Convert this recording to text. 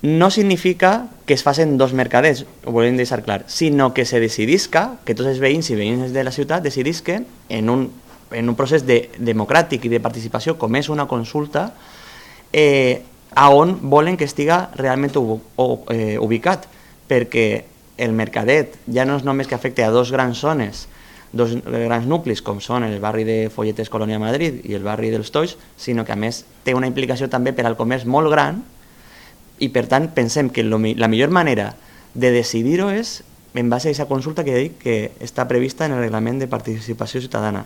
no significa que es facin dos mercaders, ho volem deixar clar, sinó que se decidisca, que tots els veïns i veïnes de la ciutat decidisquen en un procés democràtic i de participació, com és una consulta, a on volen que estiga realment ubicat, perquè el mercadet ja no és només que afecte a dos grans zones, dos grans nuclis, com són el barri de Folletes Colònia Madrid i el barri dels Toix, sinó que a més té una implicació també per al comerç molt gran, i per tant pensem que la millor manera de decidir-ho és en base a aquesta consulta que dic que està prevista en el reglament de participació ciutadana.